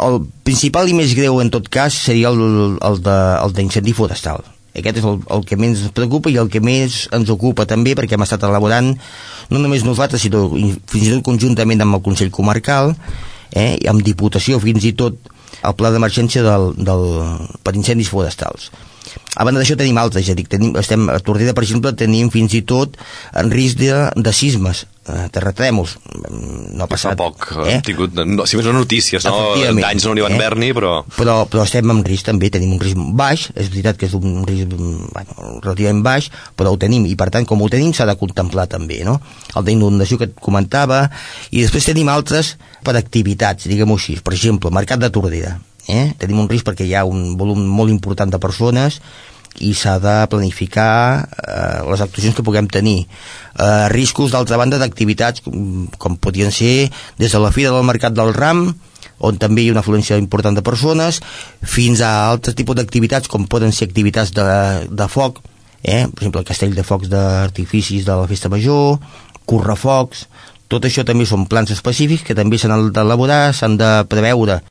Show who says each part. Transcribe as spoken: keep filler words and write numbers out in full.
Speaker 1: El principal i més greu en tot cas seria el, el, de, el d'incendi forestal. Aquest és el, el que més ens preocupa i el que més ens ocupa també, perquè hem estat elaborant no només nosaltres, sinó fins i tot conjuntament amb el Consell Comarcal, eh, amb Diputació, fins i tot el pla d'emergència del, del, per incendis forestals. A banda d'això tenim altres, ja dic, tenim, estem, a Tordera, per exemple, tenim fins i tot en risc de, de sismes, eh, terratrèmols. No ha passat.
Speaker 2: Fa poc eh? hem tingut, no, si més no notícies, no? Danys no n'hi van haver-n'hi, però...
Speaker 1: però... Però estem en risc també, tenim un risc baix, és veritat que és un risc bueno, relativament baix, però ho tenim, i per tant, com ho tenim, s'ha de contemplar també, no? El d'inundació que et comentava, i després tenim altres per activitats, diguem-ho així. Per exemple, Mercat de Tordera. Eh? Tenim un risc perquè hi ha un volum molt important de persones i s'ha de planificar eh, les actuacions que puguem tenir. Eh, riscos, d'altra banda, d'activitats com, com podrien ser des de la Fira del Mercat del Ram, on també hi ha una afluència important de persones, fins a altres tipus d'activitats com poden ser activitats de, de foc, eh? Per exemple el castell de focs d'artificis de la Festa Major, correfocs. Tot això també són plans específics que també s'han d'elaborar, s'han de preveure